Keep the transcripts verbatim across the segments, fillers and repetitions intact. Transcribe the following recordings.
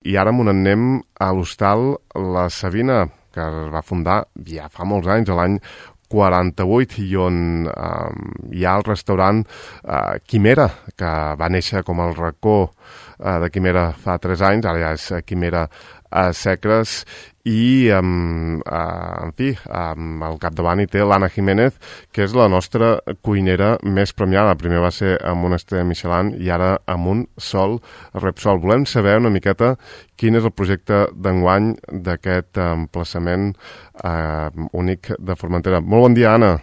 I ara m'ho anem a l'hostal La Savina, que es va fundar ja fa molts anys, a l'any quaranta-vuit, i on eh, hi ha el restaurant eh, Quimera, que va néixer com el racó eh, de Quimera fa tres anys, ara ja és Quimera a Secres, i eh, eh, en fi, eh, al capdavant hi té l'Anna Jiménez, que és la nostra cuinera més premiada. Primer va ser amb una estrella Michelin i ara amb un sol Repsol. Volem saber una miqueta quin és el projecte d'enguany d'aquest emplaçament eh, únic de Formentera. Molt bon dia, Anna.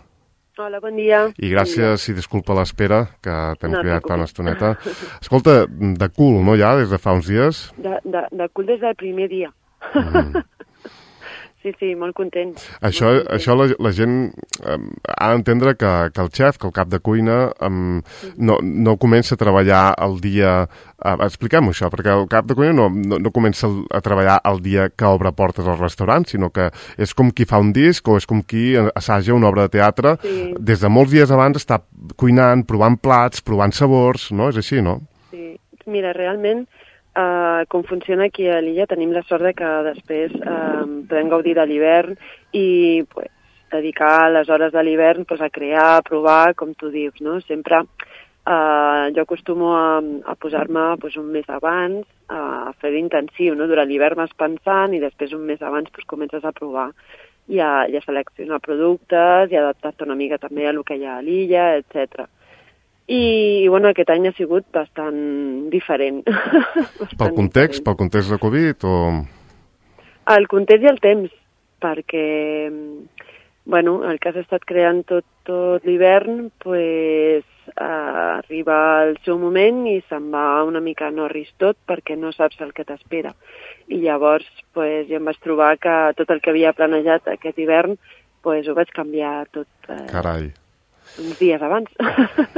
Hola, bon dia. I gràcies i disculpa l'espera, que t'hem No, cridat no, fa una estoneta. Escolta, de cul, no, ja, des de fa uns dies? De, de, de cul des del primer dia. Mm. Sí, sí, molt content. Això, molt content. això la, la gent eh, ha d'entendre que, que el xef, que el cap de cuina, eh, no, no comença a treballar el dia... Eh, Expliquem-ho, això, perquè el cap de cuina no, no, no comença a treballar el dia que obre portes al restaurant, sinó que és com qui fa un disc o és com qui assaja una obra de teatre. Sí. Des de molts dies abans està cuinant, provant plats, provant sabors, no? És així, no? Sí, mira, realment... Uh, com funciona aquí a l'illa, tenim la sort de que després uh, podem gaudir de l'hivern i pues, dedicar les hores de l'hivern pues, a crear, a provar, com tu dius, no? Sempre uh, jo acostumo a, a posar-me pues, un mes abans, uh, a fer-ho intensiu, no? Durant l'hivern vas pensant i després un mes abans pues, comences a provar i a, i a seleccionar productes i adaptar-te una mica també a lo que hi ha a l'illa, etcètera. I, i bueno, aquest any ha sigut bastant diferent. bastant pel context, diferent. pel context de Covid o...? El context i el temps, perquè bueno, el que has estat creant tot, tot l'hivern, pues, eh, arriba el seu moment i se'n va una mica no ris tot perquè no saps el que t'espera. I llavors pues, jo em vaig trobar que tot el que havia planejat aquest hivern pues, ho vaig canviar tot. Eh, Carai. uns dies abans.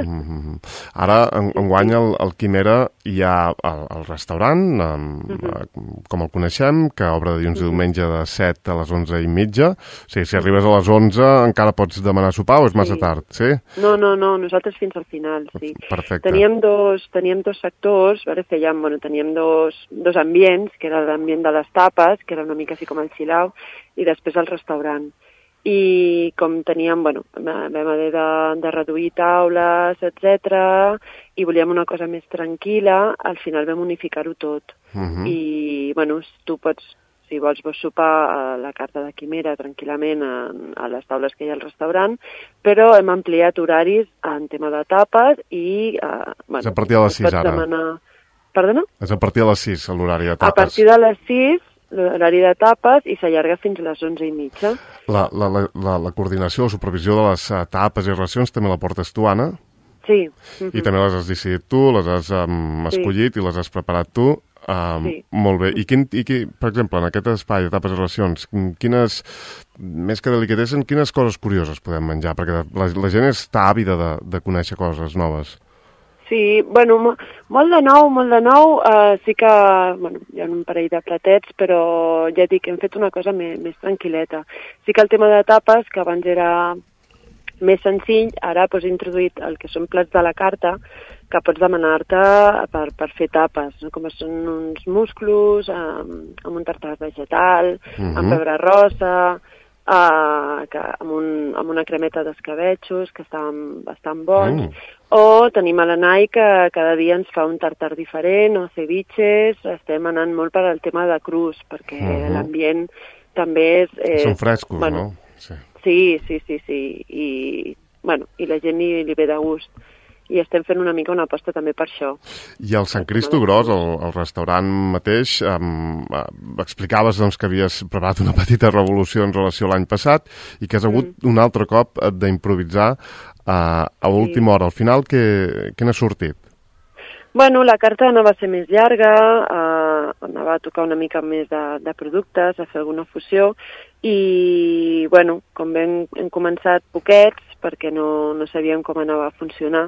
Mm-hmm. Ara, en, enguany, el, el Quimera hi ha el, el restaurant, um, mm-hmm. com el coneixem, que obre de dilluns i diumenge de set a les onze i mitja. O sigui, si arribes a les onze encara pots demanar sopar o és massa sí. tard, sí? No, no, no, nosaltres fins al final, sí. Perfecte. Teníem dos, teníem dos sectors, veure, fèiem, bueno, teníem dos, dos ambients, que era l'ambient de les tapes, que era una mica així com el chill-out, i després el restaurant. I com teníem, bueno, vam haver de, de reduir taules, etcètera, i volíem una cosa més tranquil·la, al final vam unificar-ho tot. Uh-huh. I, bueno, tu pots, si vols, vols sopar a la carta de Quimera tranquil·lament a, a les taules que hi ha al restaurant, però hem ampliat horaris en tema de tapes i... Uh, bueno, és a partir de les sis, ara? Demanar... Perdona? És a partir de les sis, l'horari de tapes. A partir de les sis, l'horari de tapes, i s'allarga fins a les onze i mitja. La, la, la, la coordinació, la supervisió de les uh, tapes i racions també la portes tu, Anna? Sí. Mm-hmm. I també les has decidit tu, les has um, escollit sí. i les has preparat tu. Um, sí. Molt bé. I, quin, i qui, per exemple, en aquest espai de tapes i racions, quines, més que delicatessen, quines coses curioses podem menjar? Perquè la, la gent està àvida de, de conèixer coses noves. Sí, bueno, molt de nou, molt de nou, uh, sí que, bueno, hi ha un parell de platets, però ja dic, hem fet una cosa més, més tranquil·leta. Sí que el tema de tapes, que abans era més senzill, ara pues, he introduït el que són plats de la carta, que pots demanar-te per, per fer tapes, no? Com són uns musclos, amb, amb un tartar vegetal, uh-huh. amb pebre rosa, uh, que, amb, un, amb una cremeta d'escabetxos, que estan bastant bons, uh. o tenim a l'Anai que cada dia ens fa un tartar diferent, o ceviches, estem anant molt per al tema de crus, perquè uh-huh. l'ambient també és... Eh, són frescos, bueno, no? Sí. Sí, sí, sí, sí, i, bueno, i la gent li, li ve de gust. I estem fent una mica una aposta també per això. I el Sant Cristo Gros, el, el restaurant mateix, um, uh, explicaves doncs, que havies preparat una petita revolució en relació a l'any passat i que has hagut mm. un altre cop d'improvisar uh, a última sí. hora. Al final, què, què n'ha sortit? Bueno, la carta anava a ser més llarga, uh, anava a tocar una mica més de, de productes, a fer alguna fusió, i, bueno, com hem, hem començat poquets, perquè no, no sabíem com anava a funcionar,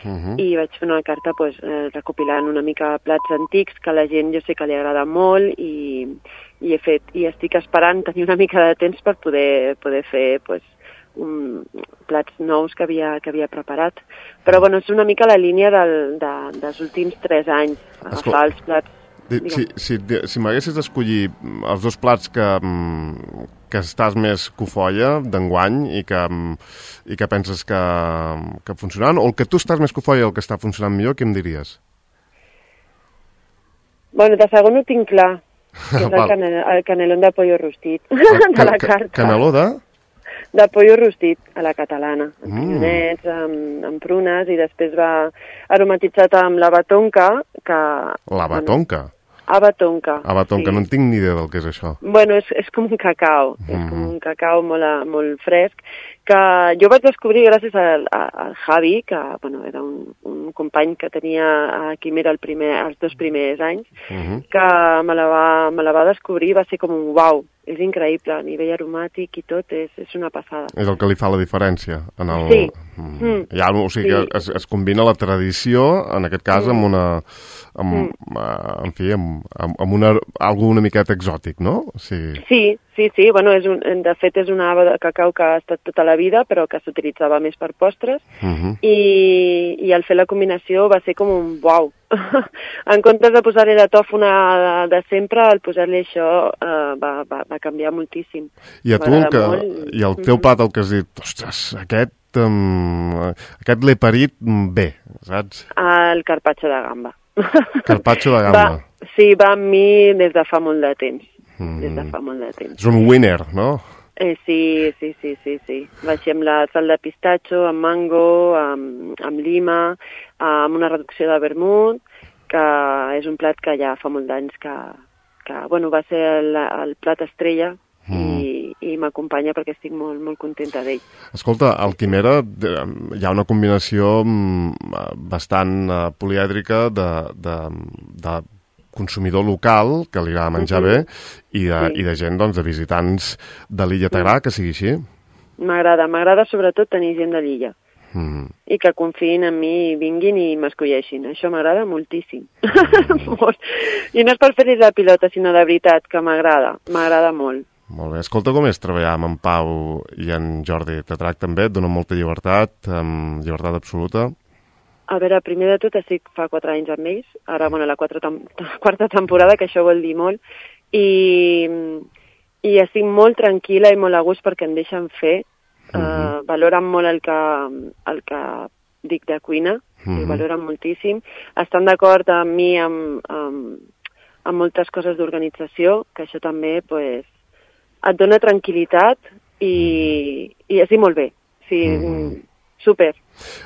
uh-huh. i vaig fer una carta pues, eh, recopilant una mica plats antics que a la gent jo sé que li agrada molt i, i he fet i estic esperant tenir una mica de temps per poder, poder fer pues, un, plats nous que havia, que havia preparat. Però bueno, és una mica la línia del, de, dels últims tres anys, agafar els plats Si, si, si m'haguessis d'escollir els dos plats que, que estàs més cofoia d'enguany i que, i que penses que, que funcionaran, o el que tu estàs més cofoia i el que està funcionant millor, què em diries? Bueno, de segon ho tinc clar, que és el, canel, el canelón de pollo rostit, de la carta. Caneló de? De pollo rostit, a la catalana, amb mm. pinyonets, amb, amb prunes, i després va aromatitzat amb la batonca, que... La batonca? Bueno, Abatonca. Abatonca, sí. No en tinc ni idea del que és això. Bueno, és, és com un cacau, mm. és com un cacau molt, molt fresc, que jo vaig descobrir gràcies al, al Javi, que bueno, era un, un company que tenia a Quimera el primer, els dos primers anys, mm -hmm. que me la, va, me la va descobrir, va ser com un uau, és increïble, a nivell aromàtic i tot, és, és una passada. És el que li fa la diferència. En el... Sí. Mm. Ja, o sigui, sí. que es, es combina la tradició, en aquest cas, mm. amb una... Amb, mm. en fi, amb, amb una, algo una miqueta exòtic, no? Sí, sí, sí, sí. Bueno, és un, de fet és una ava de cacau que ha estat tota la vida, però que s'utilitzava més per postres, uh-huh. i, i al fer la combinació va ser com un uau. En comptes de posar-li la tòfona de, de sempre, al posar-li això uh, va, va, va canviar moltíssim. I a tu, el que, i el teu plat, el que has dit, ostres, aquest, um, aquest l'he parit bé, saps? El carpaccio de gamba. Carpaccio de gamba. Va, sí, va amb mi des de fa molt de temps. Mm. Des de fa molt de temps. És un winner, no? Eh, sí, sí, sí, sí, sí. Va així amb la sal de pistatxo, amb mango, amb, amb lima, amb una reducció de vermut, que és un plat que ja fa molt d'anys que, que bueno, va ser el, el plat estrella mm. i, i m'acompanya perquè estic molt, molt contenta d'ell. Escolta, al Quimera hi ha una combinació bastant uh, polièdrica de, de, de consumidor local, que li agrada menjar uh-huh. bé, i de, sí. i de gent, doncs, de visitants de l'illa. T'agrada que sigui així? M'agrada, m'agrada sobretot tenir gent de l'illa. Mm. I que confiïn en mi i vinguin i m'escolleixin. Això m'agrada moltíssim. Mm. Molt. I no és per fer-li la pilota, sinó de veritat, que m'agrada. M'agrada molt. Molt bé. Escolta, com és treballar amb en Pau i en Jordi? Te tracten bé? Et donen molta llibertat? Amb llibertat absoluta? A veure, primer de tot estic fa quatre anys amb ells. Ara, bueno, la quatre tem- quarta temporada, que això vol dir molt. I, i estic molt tranquil·la i molt a gust perquè em deixen fer. Uh-huh. Uh, valoren molt el que, el que dic de cuina, uh-huh. i valoren moltíssim. Estan d'acord amb mi amb, amb, amb moltes coses d'organització, que això també pues, et dona tranquil·litat i, i és dir molt bé. Sí, uh-huh. Super.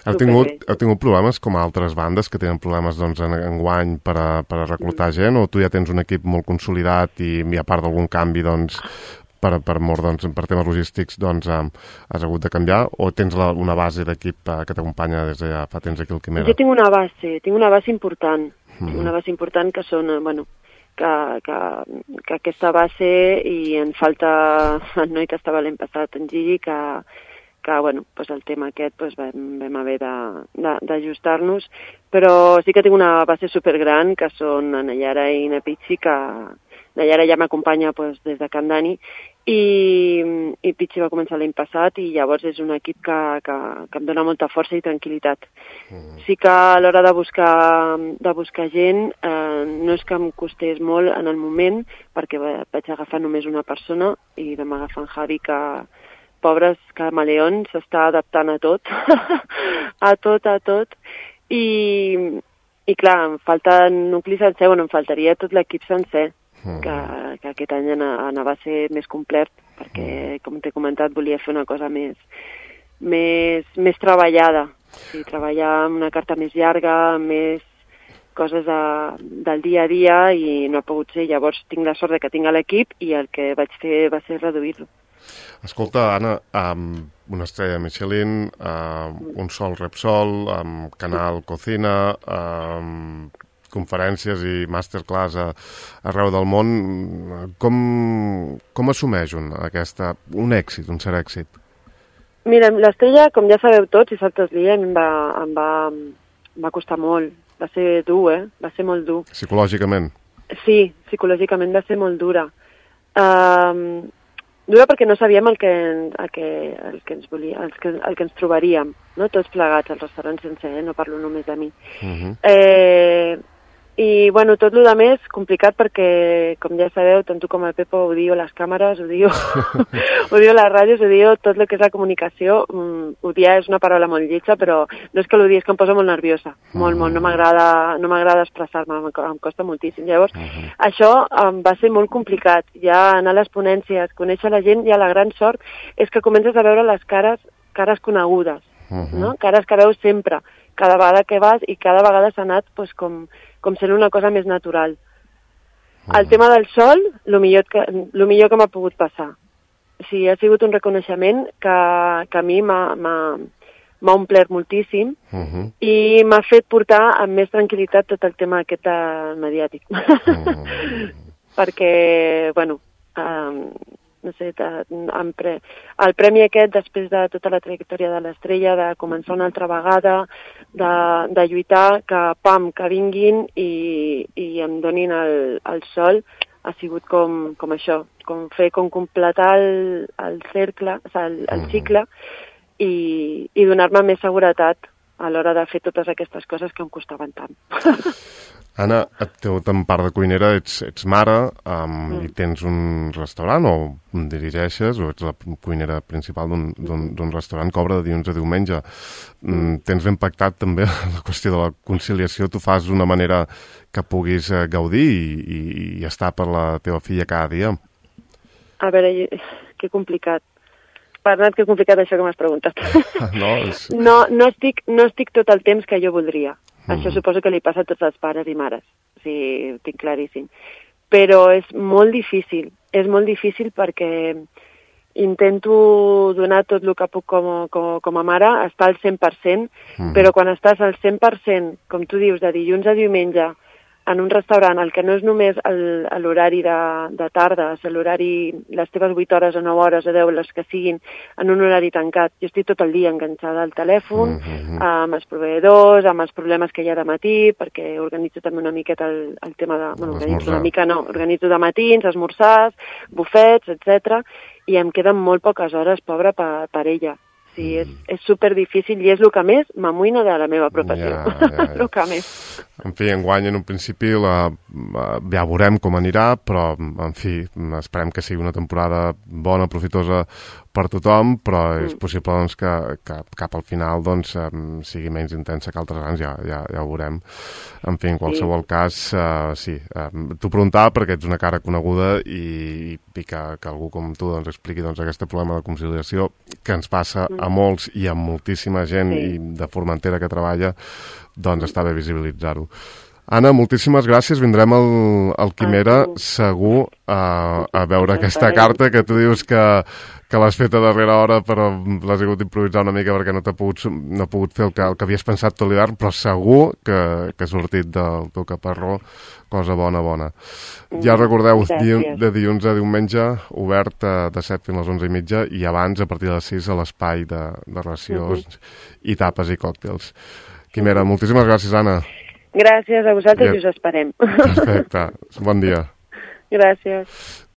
Heu tingut, heu tingut problemes com altres bandes que tenen problemes doncs, en, en guany per a, per a reclutar mm. gent, o tu ja tens un equip molt consolidat i, i a part d'algun canvi doncs, per, per, mort, doncs, per temes logístics doncs, um, has hagut de canviar, o tens la, una base d'equip uh, que t'acompanya des de ja fa temps aquí al Quimera? Jo tinc una base, tinc una base important, mm. tinc una base important que són, bueno, que, que, que aquesta base, i en falta el noi que estava l'any passat, en Gigi, que que bueno, pues el tema aquest pues vam, vam haver d'ajustar-nos, però sí que tinc una base supergran, que són Nayara i Pichi, que Nayara ja m'acompanya pues, des de Can Dani, i, i Pichi va començar l'any passat, i llavors és un equip que, que, que em dona molta força i tranquil·litat. Mm. Sí que a l'hora de buscar, de buscar gent, eh, no és que em costés molt en el moment, perquè vaig agafar només una persona, i vam agafar en Javi, que pobres camaleons, s'està adaptant a tot, a tot, a tot, i, i clar, em falta nucli sencer, bueno, em faltaria tot l'equip sencer, mm. que, que aquest any anava a ser més complet, perquè, com t'he comentat, volia fer una cosa més, més, més treballada, sí, treballar amb una carta més llarga, més coses de, del dia a dia, i no ha pogut ser. Llavors tinc la sort de que tinc l'equip, i el que vaig fer va ser reduir-lo. Escolta, Anna, um, una estrella Michelin, uh, un sol Repsol, um, canal Cocina, um, conferències i masterclass a, arreu del món. Com, com assumeix un, aquesta, un èxit, un cert èxit? Mira, l'estrella, com ja sabeu tots, i saltes l'ia, em, va, em, va, em va costar molt. Va ser dur, eh? Va ser molt dur. Psicològicament? Sí, psicològicament va ser molt dura. Um, Dura perquè no sabíem el que, el que, el que ens volia, el que, el que ens trobaríem, no? Tots plegats al restaurant sencer, eh? No parlo només de mi. Uh-huh. eh, I, bueno, tot el més complicat perquè, com ja sabeu, tant tu com el Pepo odio les càmeres, odio, odio les ràdios, odio tot el que és la comunicació. Mm, odiar és una paraula molt lletja, però no és que l'odie, és que em posa molt nerviosa. Molt, molt. No m'agrada no m'agrada expressar-me, em, em costa moltíssim. Llavors, uh -huh. això um, va ser molt complicat. Ja anar a les ponències, conèixer la gent, ja la gran sort és que comences a veure les cares, cares conegudes, uh -huh. no? Cares que veus sempre, cada vegada que vas, i cada vegada s'ha anat pues, com... com sent una cosa més natural. Mm. El tema del sol, el millor que, lo millor que m'ha pogut passar. O sigui, ha sigut un reconeixement que, que a mi m'ha omplert moltíssim mm -hmm. i m'ha fet portar amb més tranquil·litat tot el tema aquest mediàtic. Mm. Perquè, bueno, um, no sé, de, pre... el premi aquest, després de tota la trajectòria de l'Estrella, de començar una altra vegada, de, de lluitar, que pam, que vinguin i, i em donin el, el sol, ha sigut com, com això, com fer, com completar el, el cercle, o sigui, el, el cicle, i, i donar-me més seguretat a l'hora de fer totes aquestes coses que em costaven tant. Anna, tu en part de cuinera ets, ets mare um, mm. i tens un restaurant o dirigeixes o ets la cuinera principal d'un restaurant que obre de dilluns a diumenge. Mm. Tens ben pactat també la qüestió de la conciliació. Tu fas d'una manera que puguis uh, gaudir i, i, i estar per la teva filla cada dia? A veure, que complicat. Bernat, que complicat això que m'has preguntat. No, és... no, no, estic, no estic tot el temps que jo voldria. Mm. Això suposo que li passa a tots els pares i mares, o sigui, ho tinc claríssim. Però és molt difícil, és molt difícil perquè intento donar tot el que puc com, com, com a mare, estar al cent per cent, mm. però quan estàs al cent per cent, com tu dius, de dilluns a diumenge, en un restaurant, el que no és només l'horari de, de tarda, és l'horari, les teves vuit hores o nou hores o deu, les que siguin, en un horari tancat. Jo estic tot el dia enganxada al telèfon, mm-hmm. amb els proveïdors, amb els problemes que hi ha de matí, perquè organitzo també una miqueta el, el tema de... Bueno, organitzo una mica no, organitzo de matins, esmorzars, bufets, etcètera, i em queden molt poques hores, pobra, per, per ella. Sí, és, és superdifícil i és el que més m'amoïna de la meva professió. Ja, ja, ja. El que més. En fi, enguany en un principi la, ja veurem com anirà, però en fi, esperem que sigui una temporada bona, profitosa per tothom, però és possible doncs, que, que cap al final doncs, sigui menys intensa que altres anys, ja, ja, ja ho veurem. En fi, en qualsevol sí. cas, uh, sí, uh, t'ho preguntava perquè ets una cara coneguda i, i que, que algú com tu doncs, expliqui doncs, aquest problema de conciliació que ens passa mm. a molts i a moltíssima gent sí. i de Formentera que treballa, doncs està bé visibilitzar-ho. Anna, moltíssimes gràcies. Vindrem al, al Quimera, segur, a, a veure aquesta carta que tu dius que, que l'has fet a darrera hora, però l'has hagut d'improvisar una mica perquè no t'ha pogut, no ha pogut fer el que, el que havies pensat tot l'hivern, però segur que, que ha sortit del teu caparró cosa bona, bona. Ja recordeu, di, de dilluns a diumenge, obert de set fins a les onze i mitja, i abans, a partir de les sis, a l'espai de, de racions uh-huh. i tapes i còctels. Quimera, moltíssimes gràcies, Anna. Gràcies a vosaltres i us esperem. Perfecte. Bon dia. Gràcies.